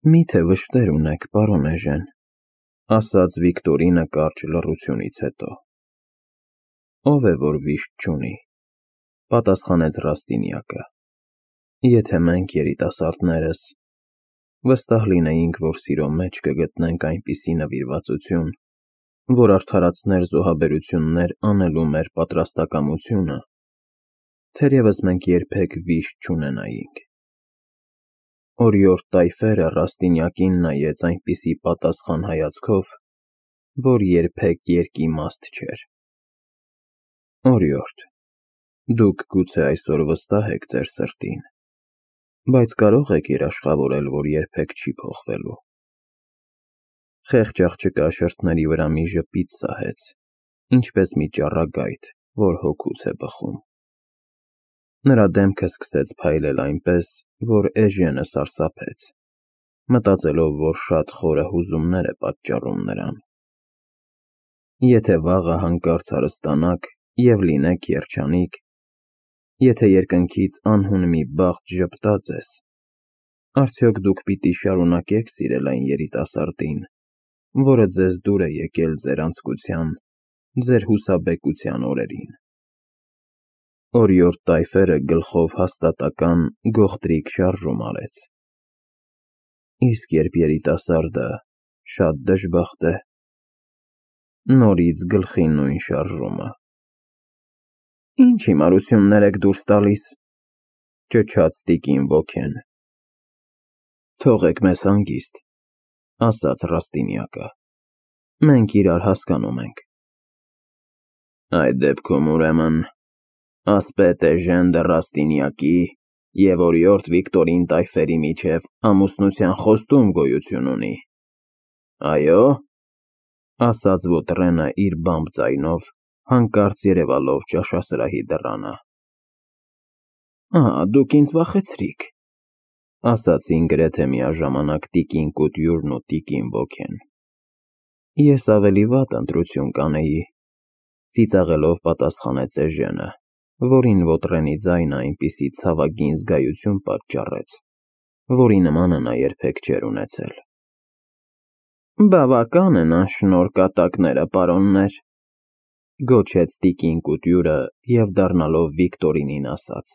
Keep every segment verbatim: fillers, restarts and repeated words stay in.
Մի՞թե վշտեր ունեք, պարոն Էժեն, ասաց Վիկտորինը կարճ լռությունից հետո։ Ով է, որ վիշտ չունի, պատասխանեց Ռաստինյակը։ Եթե մենք երիտասարդներս վստահ լինեինք, որ սիրո մեջ կգտնենք այնպիսի նվիրվածություն, որ արդարացներ զոհաբերություններ անելու մեր պատրաստակամությունը, թերևս մենք երբեք վիշտ չունենայինք։ Օրիորդ Տայֆերը Ռաստինյակին նայեց այնպիսի պատասխան հայացքով, որ երբեք երկիմաստ չէր։ Օրիորդ, դուք գուցե այսօր վստահ եք ձեր սրտին, բայց կարո՞ղ եք երաշխավորել, որ երբեք չի փոխվելու։ Խեղճ աղջկա շրթների վրա մի ժպիտ սահեց, ինչպես մի ճառագայթ, որ հոգուց է բխում։ Նրա դեմքը սկսեց փայլել այնպես, որ Էժենը սարսափեց, մտածելով, որ շատ խորը հուզումներ է պատճառում նրան։ Եթե վաղը հանկարծ հարստանաք և լինեք երջանիկ, եթե երկնքից անհուն մի բախտ ժպտա ձեզ, արդյոք դուք պիտի շարունակե՞ք սիրել այն երիտասարդին, որը ձեզ դուր է եկել ձեր անձկության, ձեր հուսաբեկության օրերին։ Օրիորդ Տայֆերը գլխով հաստատական գողտրիկ շարժում արեց։ Իսկ երբ երիտասարդը շատ դժբախտ է, նորից գլխի նույն շարժումը։ Ինչ հիմարություններ եք դուրս տալիս, ճչաց տիկին ոգեն։ Թողեք մեզ հանգիստ, ասաց Ռաստինյակը, մենք իրար հասկանում ենք։ Այդ դեպքում ուրեմն ասպետ Էժեն դը Ռաստինյակի և օրիորդ Վիկտորին Տայֆերի միջև ամուսնության խոստում գոյություն ունի։ Այո՞, ասաց Վոտրենը իր բամբ ձայնով, հանկարծ երևալով ճաշասրահի դռանը։ Ահա, դուք ինձ վախեցրիք, ասացին գրեթե միաժամանակ տիկին Կուտյուրն ու տիկին Ոգեն։ Ես ավելի վատ ընտրություն կանեի, ծիծաղելով պատասխանեց Էժենը, որին Վոտրենի ձայնը այնպիսի ցավագին զգայություն պատճառեց, որի նմանը նա երբեք չէր ունեցել։ Բավական են անշնորհ կատակները, պարոններ, գոչեց տիկին Կուտյուրը և դառնալով Վիկտորինին ասաց.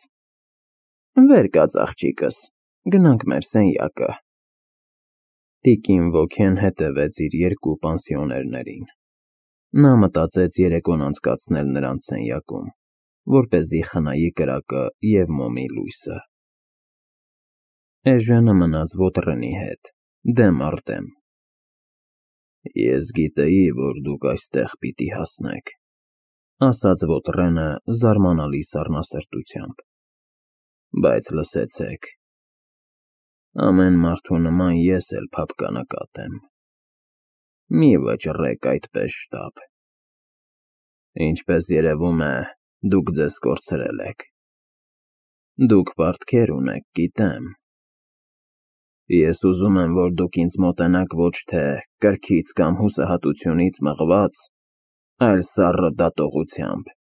Վեր կաց աղջիկս, գնանք մեր սենյակը։ Տիկին Ոգեն հետևեց իր երկու պանսիոներներին։ Նա մտածեց երեկոն անցկացնել նրանց սենյակում, որպեսզի խնայի կրակը և մոմի լույսը։ Էժենը մնաց Վոտրենի հետ, դեմ առ դեմ։ Ես գիտեի, որ դուք այստեղ պիտի հասնեք, ասաց Վոտրենը զարմանալի սառնասրտությամբ, բայց լսեցեք, ամեն մարդու նման ես էլ փափկանկատ եմ։ Մի վճռեք այդպես շտապ։ Ինչպես երևում է, դուք ձեզ կորցրել եք։ Դուք պարտքեր ունեք, գիտեմ։ Ես ուզում եմ, որ դուք ինձ մոտենաք ոչ թե կրքից կամ հուսահատությունից մղված, այլ սառը դատողությամբ։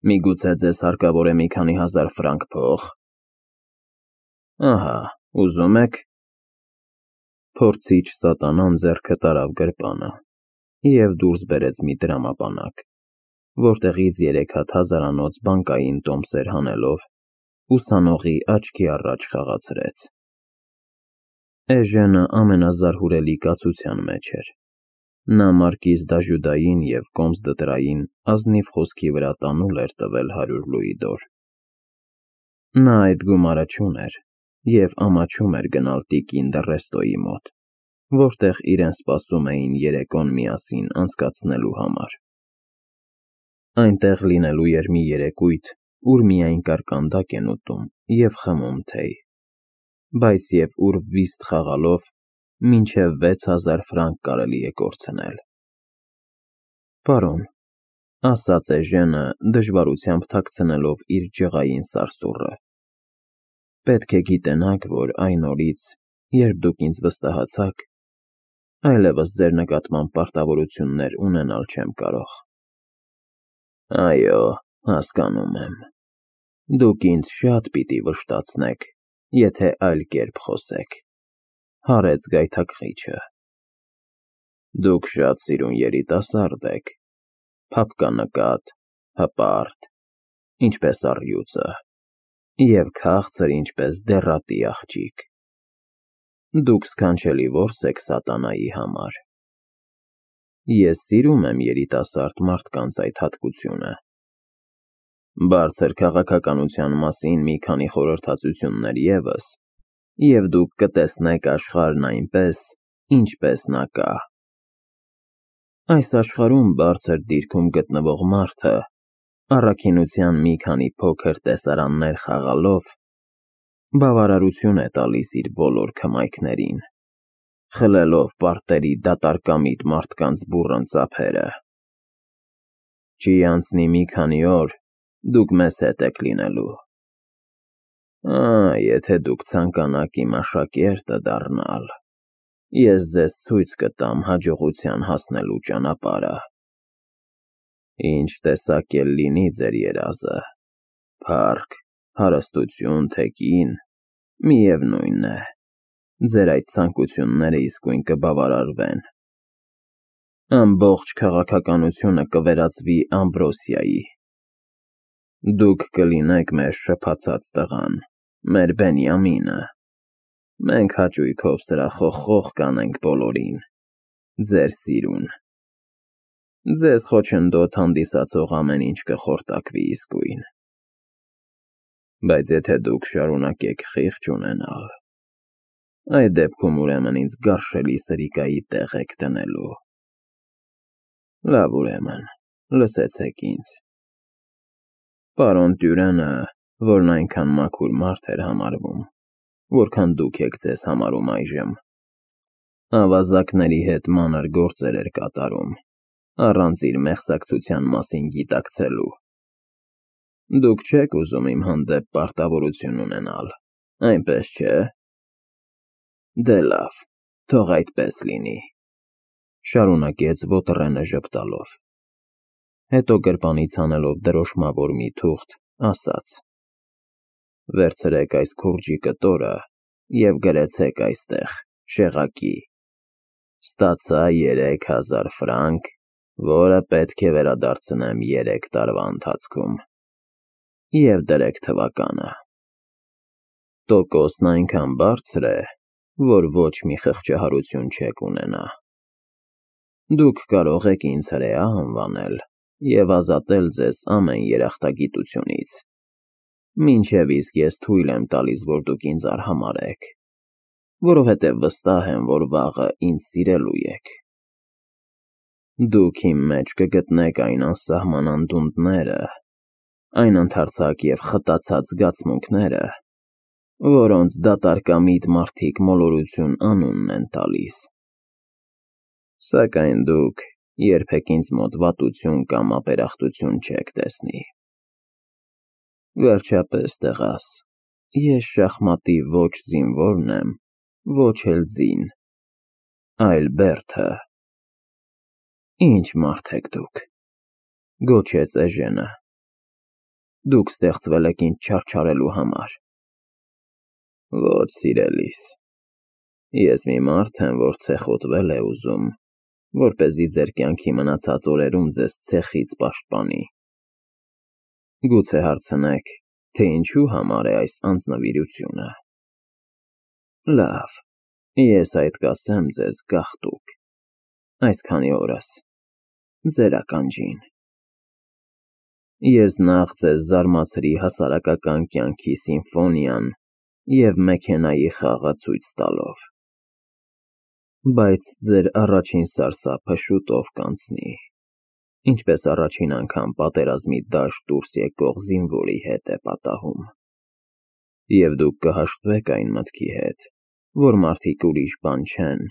Միգուցե ձեզ հարկավոր է մի քանի հազար ֆրանկ փող։ Ահա, ուզում եք։ Փորձիչ սատանան ձեռքը տարավ գրպանը և դուրս բերեց մի տրամապանակ, որտեղից երեք հատ հազարանոց բանկային տոմսեր հանելով, ուսանողի աչքի առաջ խաղացրեց։ Էժենը ամենազարհուրելի կացության մեջ էր։ Նա մարկիզ դաժուդային և կոմս դտրային ազնիվ խոսքի վրա տանուլ էր տվել հարյուր լուիդոր։ Նա այդ գումարը չուներ և ամաչում էր գնալ տիկին Դռեստոյի մոտ, որտեղ իրեն սպասում էին երեկոն միասին անցկացնելու համար։ Այնտեղ լինելու էր մի երեկույթ, ուր միայն կարկանդակ են ուտում և խմում թեյ, բայց և ուր վիստ խաղալով մինչև վեց հազար ֆրանկ կարելի է կորցնել։ Պարոն, ասաց Էժենը, դժվարությամբ թաքցնելով իր ջղային սարսուռը, պետք է գիտենաք, որ այն օրից, երբ դուք ինձ վստահացաք, այլևս ձեր նկատմամբ պարտավորություններ ունենալ չեմ կարող։ Այո, հասկանում եմ։ Դուք ինձ շատ պիտի վշտացնեք, եթե այլ կերպ խոսեք։ Հարեց գայթակղիչը։ Դուք շատ սիրուն երիտասարդ եք, փափկանկատ, հպարտ, ինչպես առյուծը, և քաղցր ինչպես դեռատի աղջիկ։ Դուք սքանչելի որս եք սատանայի համար։ Ես սիրում եմ երիտասարդ մարդկանց այդ հատկությունը։ Բարձր քաղաքականության մասին մի քանի խորհրդածություններ ևս, և դուք կտեսնեք աշխարհն այնպես, ինչպես նա կա։ Այս աշխարհում բարձր դիրքում գտնվող մարդը, առաքինության մի քանի փոքր տեսարաններ խաղալով, բավարարություն է տալիս իր բոլոր քմայքներին, խլելով պարտերի դատարկամիտ մարդկանց բուռն ծափերը։ Չի անցնի մի քանի օր, դուք մեզ հետ եք լինելու։ Ա, եթե դուք ցանկանաք իմ աշակերտը դառնալ, ես ձեզ ցույց կտամ հաջողության հասնելու ճանապարհը։ Ինչ տեսակ էլ լինի ձեր երազը, փառք, հարստություն, թե կին, միևնույն է, ձեր այդ ցանկությունները իսկույն կբավարարվեն։ Ամբողջ քաղաքականությունը կվերածվի Ամբրոսիայի։ Դուք կլինեք մեր շփացած տղան, մեր Բենյամինը։ Մենք հաճույքով սրա խոխխող կանենք բոլորին, ձեր սիրուն։ Ձեզ խոչընդոտ հանդիսացող ամեն ինչ կխորտակվի իսկույն։ Բայց եթե դուք շարունակեք խիղճ ունենալ, այդ դեպքում ուրեմն ինձ գարշելի սրիկայի տեղ եք դնելու։ Լավ, ուրեմն, լսեցեք ինձ։ Պարոն Տյուրենը, որն այնքան մաքուր մարդ էր համարվում, որքան դուք եք ձեզ համարում այժմ, ավազակների հետ մանր գործեր էր կատարում, առանց իր մեղսակցության մասին գիտակցելու։ Դուք չեք ուզում իմ հանդեպ պարտավորություն ունենալ, այնպես չէ։ Դե լավ, թող այդպես լինի, շարունակեց Ոտրենը ժպտալով։ Հետո գրպանից հանելով դրոշմավոր մի թուղթ, ասաց. Վերցրեք այս քուրջի կտորը և գրեցեք այստեղ, շեղակի. Ստացա երեք հազար ֆրանկ, որը պետք է վերադարձնեմ երեք տարվա ընթացքում, և դրեք թվականը։ Տոկոսն այնքան բարձր է, որ ոչ մի խղճահարություն չեք ունենա։ Դուք կարող եք ինձ հրեա անվանել և ազատել ձեզ ամեն երախտագիտությունից, մինչև իսկ ես թույլ եմ տալիս, որ դուք ինձ արհամարհեք, որովհետև վստահ եմ, որ վաղը ինձ սիրելու եք։ Դուք իմ մեջ կգտնեք այն անսահման անդունդները, այն ընդարձակ և խտացած զգացմունքները, որոնց դատարկամիտ մարդիկ մոլորություն անունն են տալիս։ Սակայն դուք երբեք ինձ մոտ վատություն կամ ապերախտություն չեք տեսնի։ Վերջապես, տղաս, ես շախմատի ոչ զինվորն եմ, ոչ էլ ձին, այլ բերդը։ Ինչ մարդ եք դուք, գոչեց Էժենը։ Դուք ստեղծվել եք ինձ չարչարելու համար։ Ոչ, սիրելիս, ես մի մարդ եմ, որ ցեխոտվել է ուզում, որպեսզի ձեր կյանքի մնացած օրերում ձեզ ցեխից պաշտպանի։ Գուցե հարցնեք, թե ինչու համար է այս անձնվիրությունը։ Լավ, ես այդ կասեմ ձեզ գաղտուկ, այսքանի օրս, ձեր ականջին։ Ես նախ ձեզ զարմացրի հասարակական կյանքի սիմֆոնիան և մեքենայի խաղը ցույց տալով։ Բայց ձեր առաջին սարսափը շուտով կանցնի, ինչպես առաջին անգամ պատերազմի դաշտ դուրս եկող զինվորի հետ է պատահում։ Եվ դուք կհաշտվեք այն մտքի հետ, որ մարդիկ ուրիշ բան չեն,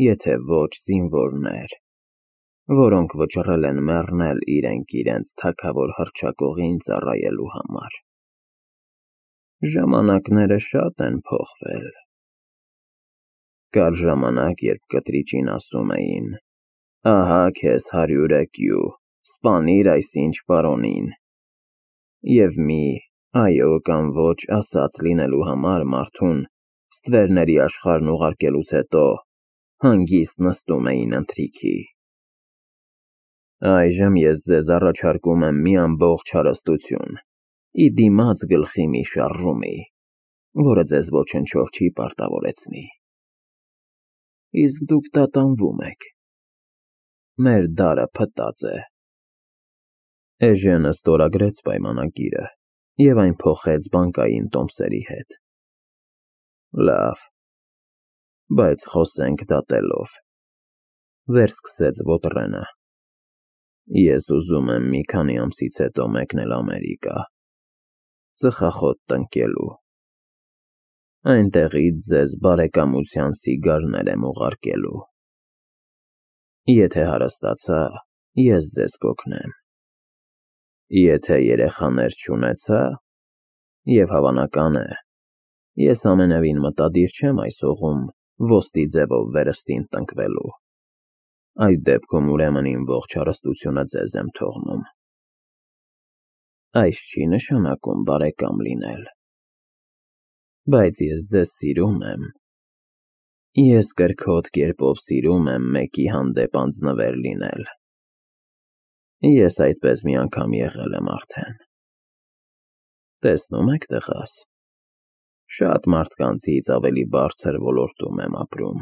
եթե ոչ զինվորներ, որոնք վճռել են մեռնել իրենք իրենց թագավոր հռչակողին ծառայելու համար։ Ժամանակները շատ են փոխվել։ Կար ժամանակ, երբ կտրիճին ասում էին. ահա քեզ հարյուր էկյու, սպանիր այսինչ պարոնին։ Եվ մի այո կամ ոչ ասած լինելու համար մարդուն Ստվերների աշխարհն ուղարկելուց հետո հանգիստ նստում էին ընթրիքի։ Այժմ ես ձեզ առաջարկում եմ մի ամբողջ հարստություն, ի դիմաց գլխի մի շարժումի, որը ձեզ ոչնչով չի պարտավորեցնի։ Իսկ դուք տատանվում եք։ Մեր դարը փտած է։ Էժենը ստորագրեց պայմանագիրը և այն փոխեց բանկային տոմսերի հետ։ Լավ, բայց խոսենք դատելով, վերսկսեց Ոտրենը։ Ես ուզում եմ մի քանի ամսից հետո մեկնել Ամերիկա, ծխախոտ տնկելու։ Այնտեղից ձեզ բարեկամության սիգարներ եմ ուղարկելու։ Եթե հարստացա, ես ձեզ կօգնեմ։ Եթե երեխաներ չունեցա, և հավանական է, ես ամենևին մտադիր չեմ այս հողում ոսկի ձևով վերստին տնկվելու, այդ դեպքում ուրեմն իմ ողջ հարստությունը ձեզ եմ թողնում։ Այս չի նշանակում բարեկամ լինել, բայց ես ձեզ սիրում եմ։ Ես կրքոտ կերպով սիրում եմ մեկի հանդեպ անձնվեր լինել։ Ես այդպես մի անգամ եղել եմ արդեն։ Տեսնում եք, տղաս, շատ մարդկանցից ավելի բարձր ոլորտում եմ ապրում։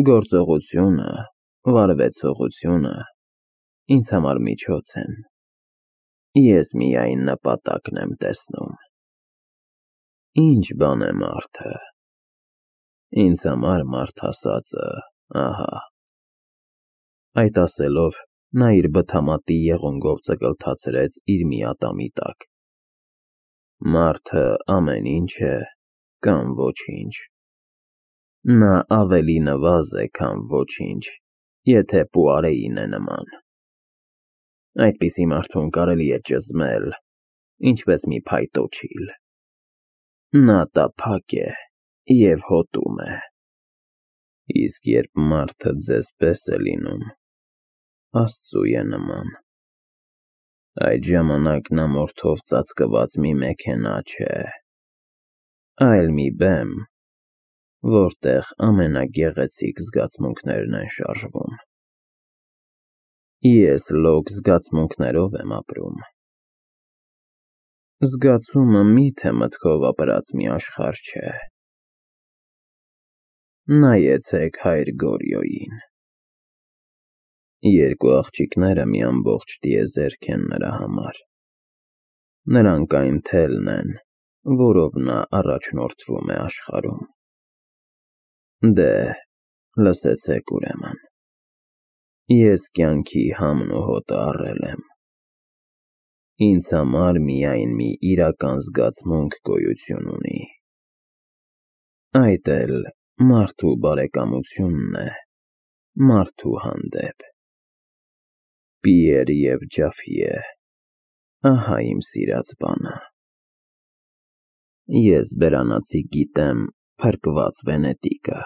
Գործողությունը, վարվեցողությունը ինձ համար միջոց են։ Ես միայն նպատակն եմ տեսնում։ Ինչ բան է մարդը։ Ինձ համար մարդ ասածը, ահա։ Այդ ասելով, նա իր բթամատի եղունգով ծկլթացրեց իր մի ատամի տակ։ Մարդը ամեն ինչ է կամ ոչինչ։ Նա ավելի նվազ է, քան ոչինչ, եթե Պուարեին է նման։ Այդպիսի մարդուն կարելի է ճզմել, ինչպես մի փայտոջիլ։ Նա տափակ է և հոտում է։ Իսկ երբ մարդը ձեզ պես է լինում, Աստծու է նման, այդ ժամանակ նա մորթով ծածկված մի մեքենա չէ, այլ մի բեմ, որտեղ ամենագեղեցիկ զգացմունքներն են շարժվում։ Ես լոկ զգացմունքներով եմ ապրում։ Զգացումը միթե մտքով ապրած մի աշխարհ չէ։ Նայեցեք հայր Գորյոյին։ Երկու աղջիկները մի ամբողջ տիեզերք են նրա համար։ Նրանք այն թելն են, որով նա առաջնորդվում է աշխարհում։ Դե, լսեցեք ուրեմն։ Ես կյանքի համն ու հոտը առել եմ։ Ինձ համար միայն մի իրական զգացմունք գոյություն ունի։ Այդ էլ մարդու բարեկամությունն է մարդու հանդեպ։ Պիեր և Ջաֆիե, ահա իմ սիրած բանը։ Ես բերանացի գիտեմ փրկված Վենետիկը։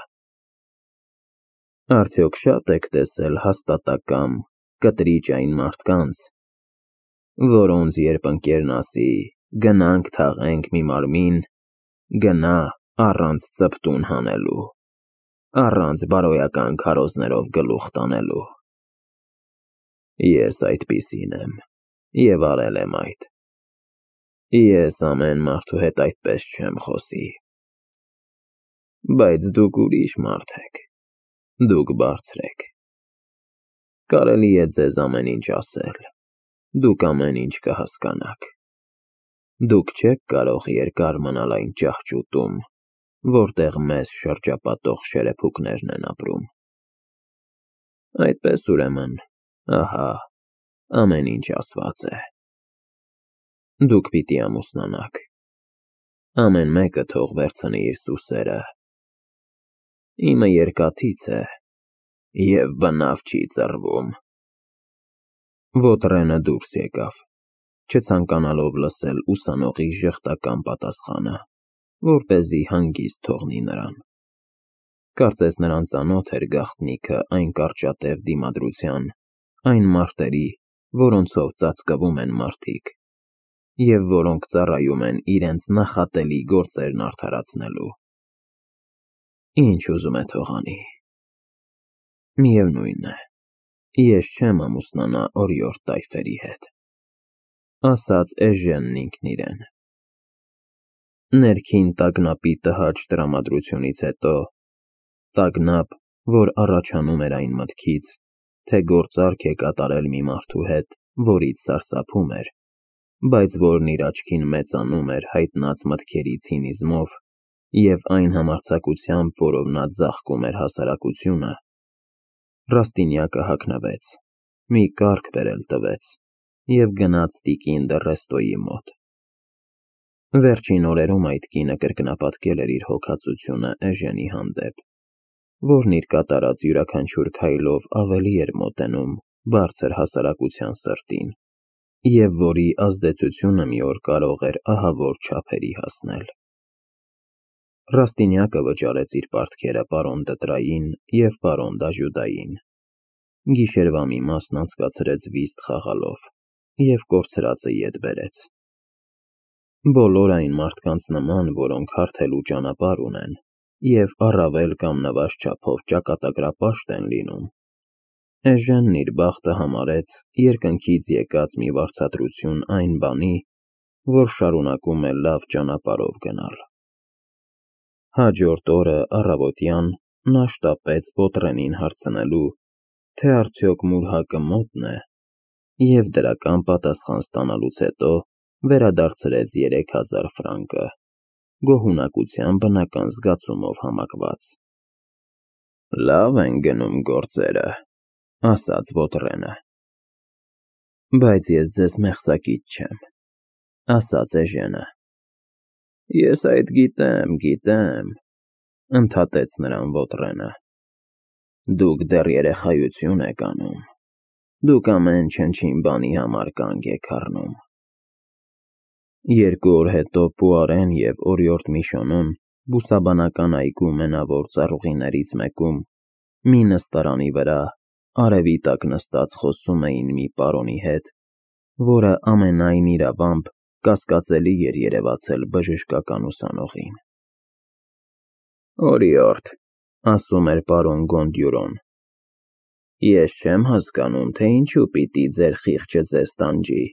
Արդյոք շատ եք տեսել հաստատակամ, կտրիճ այն մարդկանց, որոնց երբ ընկերն ասի գնանք թաղենք մի մարմին, գնա առանց ծպտուն հանելու, առանց բարոյական քարոզներով գլուխ տանելու։ Ես այդպիսին եմ և արել եմ այդ։ Ես ամեն մարդու հետ այդպես չեմ խոսի։ Բայց դուք ուրիշ մարդ եք, դուք բարձր եք։ Կարելի է ձեզ ամեն ինչ ասել, դուք ամեն ինչ կհասկանաք։ Դուք չեք կարող երկար մնալ այն ճահճուտում, որտեղ մեզ շրջապատող շերեփուկներն են ապրում։ Այդպես ուրեմն, ահա, ամեն ինչ ասված է։ Դուք պիտի ամուսնանաք։ Ամեն մեկը թող վերցնի իր սուսերը։ Իմը երկաթից է և բնավ չի ծռվում։ Ոտրենը դուրս եկավ, չցանկանալով լսել ուսանողի ժխտական պատասխանը, որպեսզի հանգիստ թողնի նրան։ Կարծես նրան ծանոթ էր գաղտնիքը այն կարճատև դիմադրության, այն մարտերի, որոնցով ծածկվում են մարդիկ, և որոնք ծառայում են իրենց նախատելի գործերն արդարացնելու։ Ինչ ուզում է թող անի։ Միևնույն է, ես չեմ ամուսնանա օրիորդ տայֆերի հետ, ասաց Էժենն ինքն իրեն։ Ներքին տագնապի տհաճ տրամադրությունից հետո, տագնապ, որ առաջանում էր այն մտքից, թե գործարք է կատարել մի մարդու հետ, որից սարսափում էր, բայց որն իր աչքին մեծանում էր հայտնած մտքերի ցինիզմով և այն համարձակությամբ, որով նա ձաղկում էր հասարակությունը, Ռաստինյակը հագնվեց, մի կառք բերել տվեց և գնաց տիկին դը Ռեստոյի մոտ։ Վերջին օրերում այդ կինը կրկնապատկել էր իր հոգածությունը Էժենի հանդեպ, որն իր կատարած յուրաքանչյուր քայլով ավելի էր մոտենում բարձր հասարակության սրտին, և որի ազդեցությունը մի օր կարող էր ահավոր չափերի հասնել։ Ռաստինյակը վճարեց իր պարտքերը պարոն Դտրային և պարոն Դաժուդային, գիշերվա մի մասն անցկացրեց վիստ խաղալով և կորցրածը ետ բերեց։ Բոլոր այն մարդկանց նման, որոնք հարթելու ճանապարհ ունեն և առավել կամ նվազ չափով ճակատագրապաշտ են լինում, Էժենն իր բախտը համարեց երկնքից եկած մի վարձատրություն այն բանի, որ շարունակում է լավ ճանապարհով գնալ։ Հաջորդ օրը առավոտյան նա շտապեց Պոտրենին հարցնելու, թե արդյոք մուրհակը մոտն է, և դրական պատասխան ստանալուց հետո վերադարձրեց երեք հազար ֆրանկը, գոհունակության բնական զգացումով համակված։ Լավ են գնում գործերը, ասաց Պոտրենը։ Բայց ես ձեզ մեղսակից չեմ, ասաց Էժենը։ Ես այդ գիտեմ, գիտեմ, ընդհատեց նրան Պոտրենը։ Դուք դեռ երեխայություն եք անում, դուք ամեն չնչին բանի համար կանգ եք առնում։ Երկու օր հետո Պուարեն և օրիորդ Միշոնոն բուսաբանական այգու մենավոր ծառուղիներից մեկում, մի նստարանի վրա, արևի տակ նստած խոսում էին մի պարոնի հետ, որը ամենայն իրավամբ կասկածելի էր երևացել բժշկական ուսանողին։ Օրիորդ, ասում էր պարոն Գոնդյուրոն, ես չեմ հասկանում, թե ինչու պիտի ձեր խիղճը ձեզ տանջի։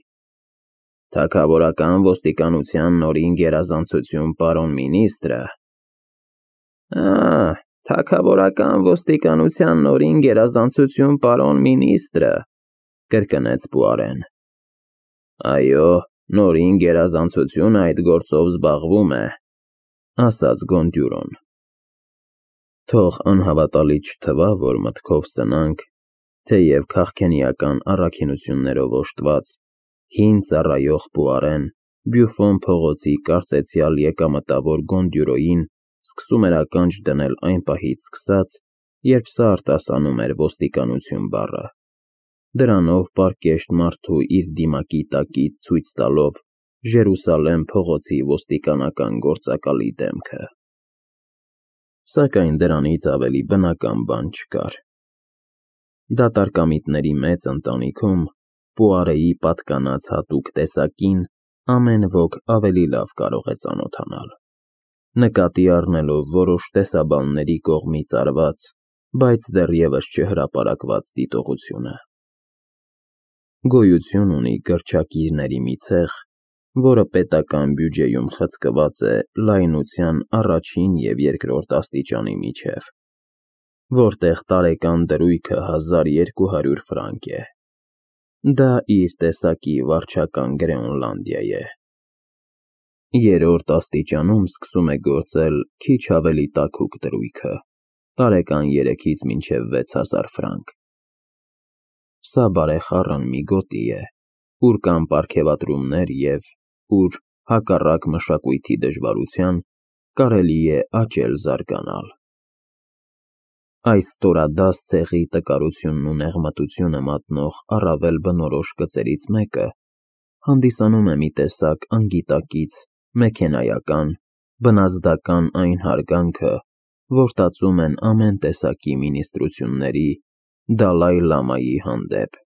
Թագավորական ոստիկանության նորին գերազանցություն պարոն մինիստրը։ Ա, թագավորական ոստիկանության նորին գերազանցություն պարոն մինիստրը, կրկնեց Պուարեն։ Այո, նորին գերազանցությունը այդ գործով զբաղվում է, ասաց Գոնդյուրոն։ Թող անհավատալի չթվա, որ մտքով սնանկ, թեև քաղքենիական առաքինություններով օժտված, հին ծառայող Պուարեն Բյուֆոն փողոցի կարծեցյալ եկամտավոր Գոնդյուրոյին սկսում էր ականջ դնել այն պահից սկսած, երբ սա արտասանում էր ոստիկանություն բառը, դրանով պարկեշտ մարդու իր դիմակի տակից ցույց տալով Ժերուսալեմ փողոցի ոստիկանական գործակալի դեմքը։ Սակայն դրանից ավելի բնական բան չկար։ Դատարկամիտների մեծ ընտանիքում Պուարեի պատկանած հատուկ տեսակին ամեն ոք ավելի լավ կարող է ծանոթանալ, նկատի առնելով որոշ տեսաբանների կողմից արված, բայց դեռևս չհրապարակված դիտողությունը։ Գոյություն ունի գրչակիրների մի ցեղ, որը պետական բյուջեում խցկված է լայնության առաջին և երկրորդ աստիճանի միջև, որտեղ տարեկան դրույքը հազար երկու հարյուր ֆրանկ է։ Դա իր տեսակի վարչական Գրեոնլանդիա է։ Երրորդ աստիճանում սկսում է գործել քիչ ավելի տաքուկ դրույքը, տարեկան երեքից մինչև վեց հազար ֆրանկ։ Սա բարեխառն մի գոտի է, ուր կան պարգևատրումներ և ուր, հակառակ մշակույթի դժվարության, կարելի է աճել զարգանալ։ Այս ստորադաս ցեղի տկարությունն ու նեղմտությունը մատնող առավել բնորոշ գծերից մեկը հանդիսանում է մի տեսակ անգիտակից, մեքենայական, բնազդական այն հարգանքը, որ տածում են ամեն տեսակի մինիստրությունների, Դալայ Լամայի հանդեպ,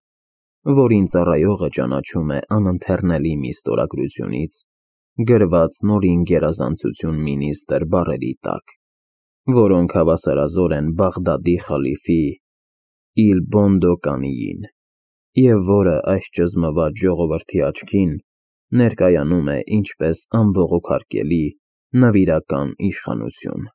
որին ծառայողը ճանաչում է անընթեռնելի մի ստորագրությունից, գրված նորին գերազանցություն մինիստրի բառերի տակ, որոնք հավասարազոր են Բաղդադի խալիֆի Իլ Բոնդո Կանիին, և որը այս ճզմված ժողովրդի աչքին ներկայանում է ինչպես անբողոքարկելի նվիրական իշխանություն։